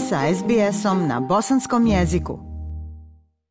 sa SBS-om na bosanskom jeziku.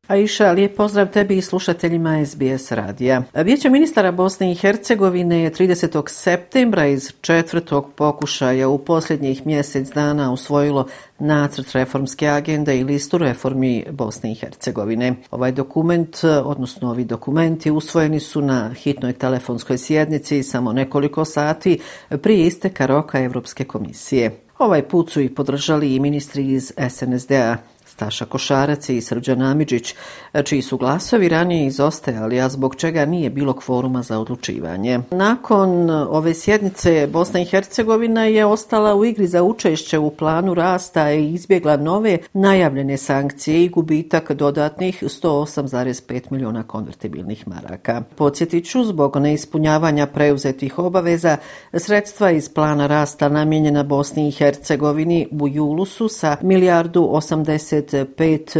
Aisha, lijep pozdrav tebi i slušateljima SBS radija. Vijeće ministara Bosne i Hercegovine je 30. septembra iz četvrtog pokušaja u posljednjih mjesec dana usvojilo nacrt reformske agende i listu reformi Bosne i Hercegovine. Ovaj dokument, odnosno ovi dokumenti, usvojeni su na hitnoj telefonskoj sjednici samo nekoliko sati prije isteka roka Europske komisije. Ovaj put su i podržali i ministri iz SNSD-a, Staša Košarac i Srđan Amidžić, čiji su glasovi ranije izostajali, a zbog čega nije bilo kvoruma za odlučivanje. Nakon ove sjednice Bosna i Hercegovina je ostala u igri za učešće u planu rasta i izbjegla nove najavljene sankcije i gubitak dodatnih 108,5 milijuna konvertibilnih maraka. Podsjetit ću, zbog neispunjavanja preuzetih obaveza, sredstva iz plana rasta namijenjena Bosni i Hercegovini u julu su sa 1,85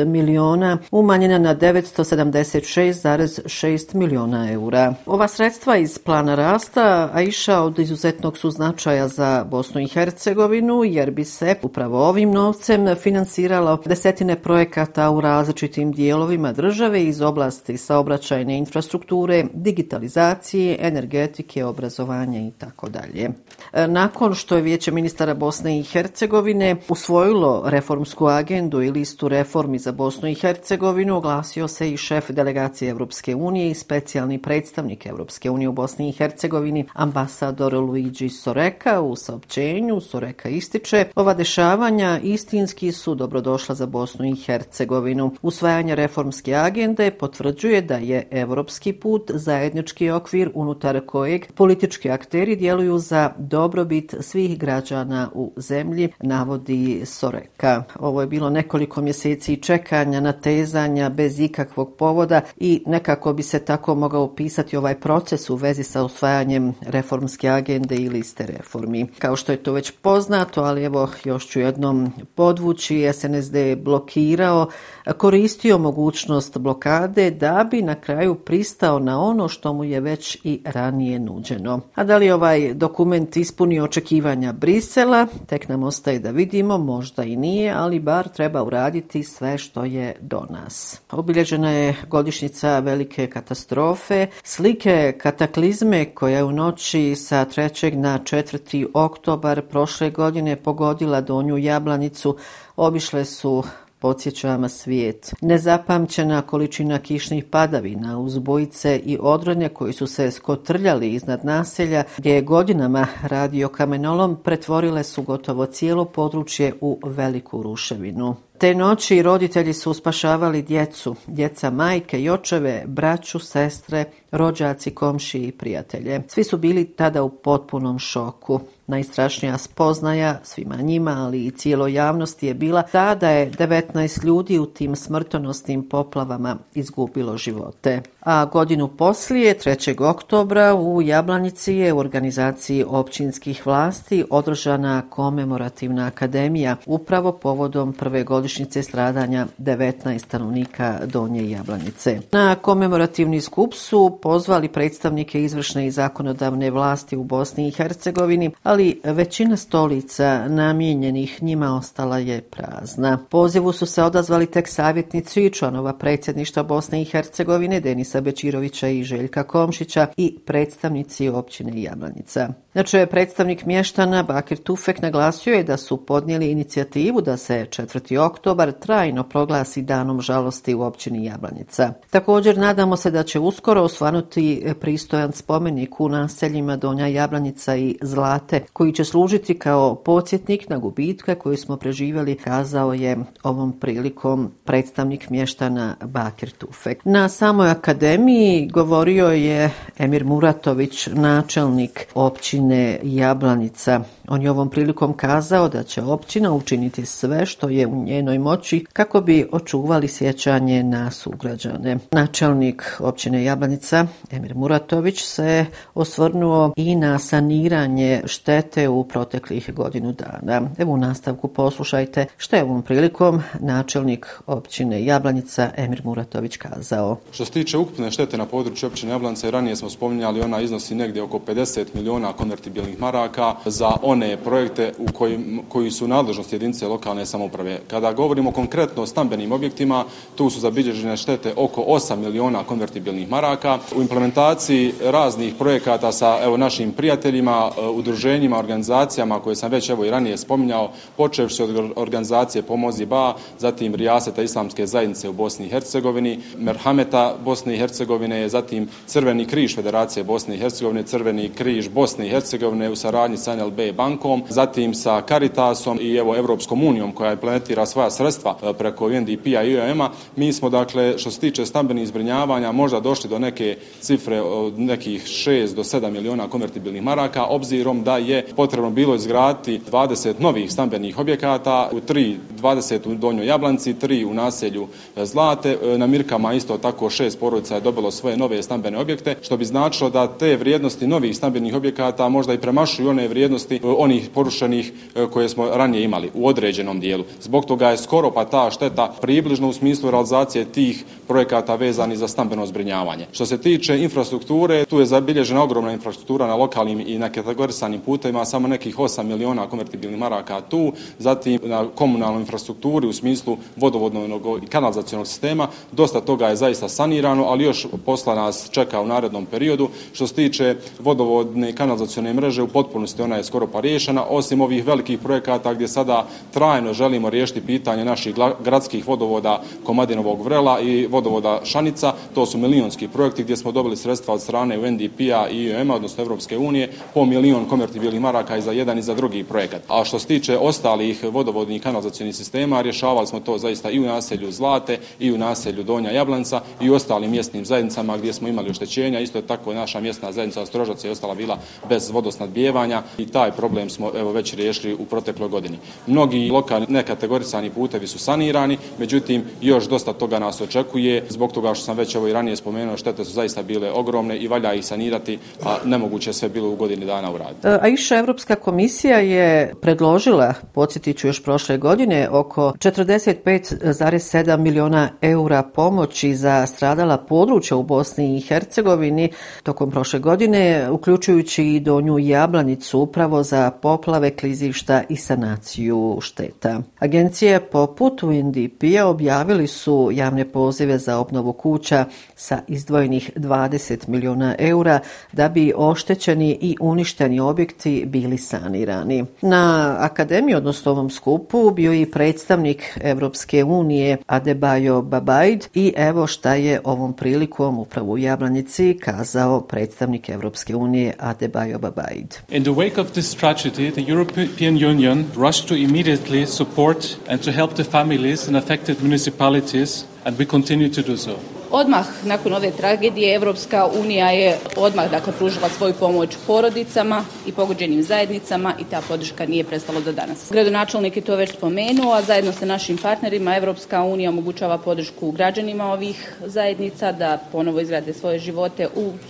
milijuna umanjena na 976,6 milijuna eura. Ova sredstva iz plana rasta, Aisha, od izuzetnog su značaja za Bosnu i Hercegovinu, jer bi se upravo ovim novcem financiralo desetine projekata u različitim dijelovima države iz oblasti saobraćajne infrastrukture, digitalizacije, energetike, obrazovanja itd. Nakon što je Vijeće ministara Bosne i Hercegovine usvojilo reformsku agendu i listu reformi za Bosnu i Hercegovinu, oglasio se i šef delegacije Europske unije i specijalni predstavnik Europske unije u Bosni i Hercegovini, ambasador Luigi Soreka. U saopćenju Soreka ističe: ova dešavanja istinski su dobrodošla za Bosnu i Hercegovinu. Usvajanje reformske agende potvrđuje da je europski put zajednički okvir unutar kojeg politički akteri djeluju za dobrobit svih građana u zemlji, navodi Soreka. Ovo je bilo nekoliko mjeseci čekanja, natezanja bez ikakvog povoda i nekako bi se tako mogao opisati ovaj proces u vezi sa usvajanjem reformske agende i liste reformi. Kao što je to već poznato, ali evo još ću jednom podvući, SNSD je blokirao, koristio mogućnost blokade da bi na kraju pristao na ono što mu je već i ranije nuđeno. A da li ovaj dokument ispunio očekivanja Brisela, tek nam ostaje da vidimo, možda i nije, ali bar treba uraditi sve što je do nas. Obilježena je godišnjica velike katastrofe, slike kataklizme koja je u noći sa 3. na 4. oktobar prošle godine pogodila Donju Jablanicu, obišle su, podsjećama, svijet. Nezapamćena količina kišnih padavina, uzbojice i odronje koji su se skotrljali iznad naselja gdje je godinama radio kamenolom pretvorile su gotovo cijelo područje u veliku ruševinu. Te noći roditelji su spašavali djeca, majke i očeve, braću, sestre, rođaci, komšije i prijatelje. Svi su bili tada u potpunom šoku. Najstrašnija spoznaja svima njima, ali i cijeloj javnosti je bila ta da je 19 ljudi u tim smrtonosnim poplavama izgubilo živote. A godinu poslije, 3. oktobra, u Jablanici je u organizaciji općinskih vlasti održana komemorativna akademija upravo povodom prve godišnjice stradanja 19 stanovnika Donje Jablanice. Na komemorativni skup su pozvali predstavnike izvršne i zakonodavne vlasti u Bosni i Hercegovini, ali većina stolica namijenjenih njima ostala je prazna. Pozivu su se odazvali tek savjetnici i članova predsjedništva Bosne i Hercegovine, Denisa Bečirovića i Željka Komšića, i predstavnici općine Jablanica. Znači, predstavnik mještana Bakir Tufek naglasio je da su podnijeli inicijativu da se 4. oktobar trajno proglasi danom žalosti u općini Jablanica. Također nadamo se da će uskoro osvanuti pristojan spomenik u naseljima Donja Jablanica i Zlate, koji će služiti kao podsjetnik na gubitke koje smo preživjeli, kazao je ovom prilikom predstavnik mještana Bakir Tufek. Na samoj akademiji govorio je Emir Muratović, načelnik općine Jablanica. On je ovom prilikom kazao da će općina učiniti sve što je u njenoj moći kako bi očuvali sjećanje na sugrađane. Načelnik općine Jablanica Emir Muratović se osvrnuo i na saniranje štete u proteklih godinu dana. Evo u nastavku poslušajte što je ovom prilikom načelnik općine Jablanica Emir Muratović kazao. Što se tiče ukupne štete na području općine Jablanica, i ranije smo spominjali, ona iznosi negdje oko 50 miliona konvertibilnih maraka za one projekte koji su u nadležnosti jedinice lokalne samouprave. Kada govorimo konkretno o stambenim objektima, tu su zabilježene štete oko 8 miliona konvertibilnih maraka. U implementaciji raznih projekata sa našim prijateljima, udruženjima, organizacijama koje sam već i ranije spominjao, počevši od organizacije Pomozi Ba, zatim Rijaseta Islamske zajednice u Bosni i Hercegovini, Merhameta Bosne i Hercegovine, zatim Crveni križ Federacije Bosne i Hercegovine, Crveni križ Bosne i Hercegovine u saradnji sa NLB bankom, zatim sa Caritasom i Europskom unijom koja implementira svoja sredstva preko UNDP-a i IOM-a. Mi smo, dakle, što se tiče stambenih zbrinjavanja, možda došli do neke cifre od nekih 6 do 7 miliona konvertibilnih maraka, obzirom da je potrebno bilo izgraditi 20 novih stambenih objekata, 20 u Donjoj Jablanci, 3 u naselju Zlate. Na Mirkama isto tako 6 porodica je dobilo svoje nove stambene objekte, što bi značilo da te vrijednosti novih stambenih objekata možda i premašuju one vrijednosti onih porušenih koje smo ranije imali u određenom dijelu. Zbog toga je skoro pa ta šteta približno u smislu realizacije tih projekata vezani za stambeno zbrinjavanje. Što se tiče infrastrukture, tu je zabilježena ogromna infrastruktura na lokalnim i na kategorisanim putevima, samo nekih 8 miliona konvertibilnih maraka tu, zatim na komunalnoj infrastrukturi u smislu vodovodnog i kanalizacionog sistema, dosta toga je zaista sanirano, ali još posla nas čeka u narednom periodu. Što se tiče vodovodne i kanalizacione mreže, u potpunosti ona je skoro pa riješena, osim ovih velikih projekata gdje sada trajno želimo riješiti pitanje naših gradskih vodovoda Komadinovog Vrela i vodovoda Šanica. To su milionski projekti gdje smo dobili sredstva od strane UNDP-a i IOM-a, odnosno Europske unije, po milion konvertibilnih maraka i za jedan i za drugi projekat. A što se tiče ostalih vodovodnih i kanalizacionih sistema, rješavali smo to zaista i u naselju Zlate i u naselju Donja Jablanca i u ostalim mjesnim zajednicama gdje smo imali oštećenja. Isto je tako naša mjesna zajednica Ostrožac je ostala bila bez vodosnadbijevanja i taj problem smo već riješili u protekloj godini. Mnogi lokalni nekategorisani putevi su sanirani, međutim još dosta toga nas očekuje. Zbog toga što sam već i ranije spomenuo, štete su zaista bile ogromne i valja ih sanirati, a nemoguće sve bilo u godini dana uraditi. Aisha, Europska komisija je predložila, podsjetit ću još prošle godine, oko 45,7 miliona eura pomoći za stradala područja u Bosni i Hercegovini tokom prošle godine, uključujući i Donju Jablanicu upravo za poplave, klizišta i sanaciju šteta. Agencije poput UNDP-a objavili su javne pozive za obnovu kuća sa izdvojenih 20 miliona eura da bi oštećeni i uništeni objekti bili sanirani. Na akademiji, odnosno ovom skupu, bio i predstavnik Evropske unije Adebayo Babaid i evo šta je ovom prilikom upravo u Jablanici kazao predstavnik Evropske unije Adebayo Babaid. In the wake of this tragedy, the European Union rushed to immediately support and to help the families in affected municipalities, and we continue to do so. Odmah nakon ove tragedije Evropska unija je odmah pružila svoju pomoć porodicama i pogođenim zajednicama i ta podrška nije prestala do danas. Gradonačelnik je to već spomenuo, a zajedno sa našim partnerima Evropska unija omogućava podršku građanima ovih zajednica da ponovo izgrade svoje živote,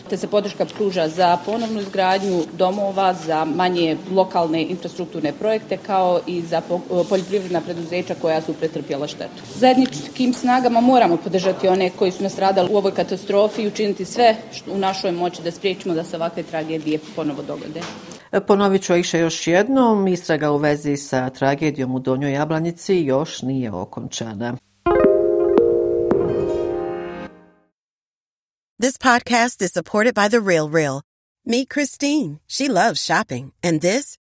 te se podrška pruža za ponovnu izgradnju domova, za manje lokalne infrastrukturne projekte kao i za poljoprivredna preduzeća koja su pretrpjela štetu. Zajedničkim snagama moramo podržati one koji su nastradali u ovoj katastrofi i učiniti sve što u našoj moći da spriječimo da se ovakve tragedije ponovo dogode. Ponovit ću Aisha još jednom, istraga u vezi sa tragedijom u Donjoj Jablanici još nije okončana. This podcast is supported by The Real Real. Meet Christine. She loves shopping. And this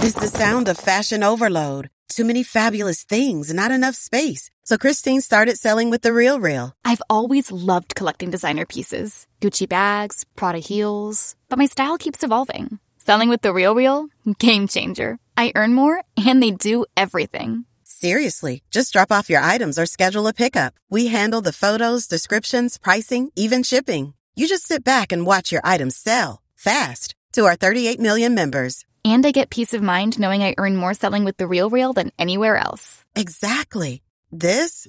is the sound of fashion overload. Too many fabulous things, not enough space. So Christine started selling with The Real Real. I've always loved collecting designer pieces. Gucci bags, Prada heels. But my style keeps evolving. Selling with The Real Real? Game changer. I earn more and they do everything. Seriously, just drop off your items or schedule a pickup. We handle the photos, descriptions, pricing, even shipping. You just sit back and watch your items sell fast to our 38 million members. And I get peace of mind knowing I earn more selling with The Real Real than anywhere else. Exactly. That's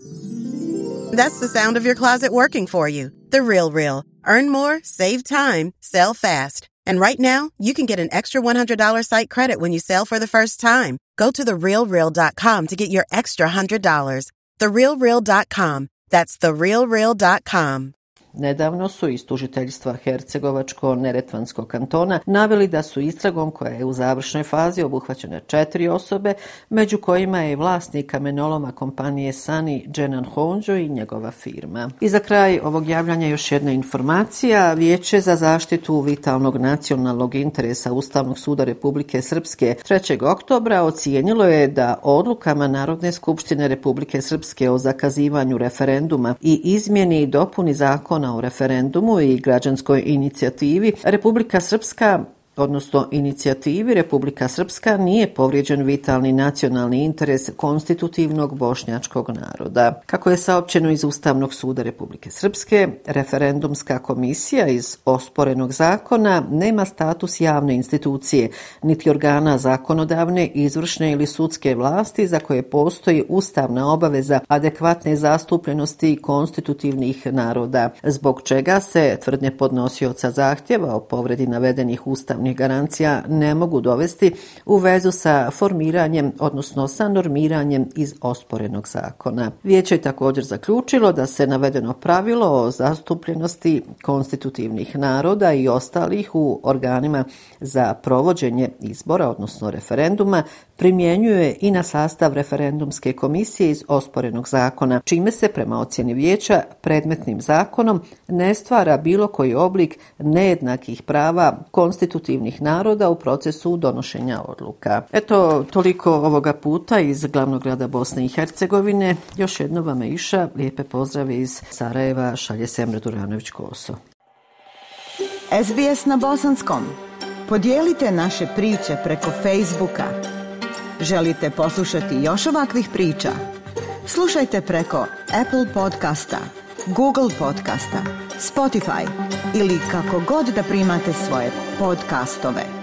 the sound of your closet working for you. The Real Real. Earn more, save time, sell fast. And right now, you can get an extra $100 site credit when you sell for the first time. Go to TheRealReal.com to get your extra $100. TheRealReal.com. That's therealreal.com. Nedavno su iz tužiteljstva Hercegovačko-Neretvanskog kantona naveli da su istragom koja je u završnoj fazi obuhvaćene 4 osobe, među kojima je vlasnik kamenoloma kompanije Sani Dženan Honđo i njegova firma. I za kraj ovog javljanja još jedna informacija. Vijeće za zaštitu vitalnog nacionalnog interesa Ustavnog suda Republike Srpske 3. oktobra ocijenilo je da odlukama Narodne skupštine Republike Srpske o zakazivanju referenduma i izmjeni i dopuni zakona o referendumu i građanskoj inicijativi Republika Srpska nije povrijeđen vitalni nacionalni interes konstitutivnog bošnjačkog naroda. Kako je saopćeno iz Ustavnog suda Republike Srpske, referendumska komisija iz osporenog zakona nema status javne institucije, niti organa zakonodavne, izvršne ili sudske vlasti za koje postoji ustavna obaveza adekvatne zastupljenosti konstitutivnih naroda, zbog čega se tvrdnje podnosioca zahtjeva o povredi navedenih ustavnih garancija ne mogu dovesti u vezu sa formiranjem, odnosno sa normiranjem iz osporenog zakona. Vijeće je također zaključilo da se navedeno pravilo o zastupljenosti konstitutivnih naroda i ostalih u organima za provođenje izbora, odnosno referenduma, primjenjuje i na sastav referendumske komisije iz osporenog zakona, čime se prema ocjeni vijeća predmetnim zakonom ne stvara bilo koji oblik nejednakih prava konstitutivnih naroda u procesu donošenja odluka. Eto, toliko ovoga puta iz glavnog grada Bosne i Hercegovine. Još jedno vam je Iša. Lijepe pozdrave iz Sarajeva, šalje Semre Duranović-Koso. SBS na bosanskom. Podijelite naše priče preko Facebooka. Želite poslušati još ovakvih priča? Slušajte preko Apple podcasta, Google podcasta, Spotify ili kako god da primate svoje podcastove.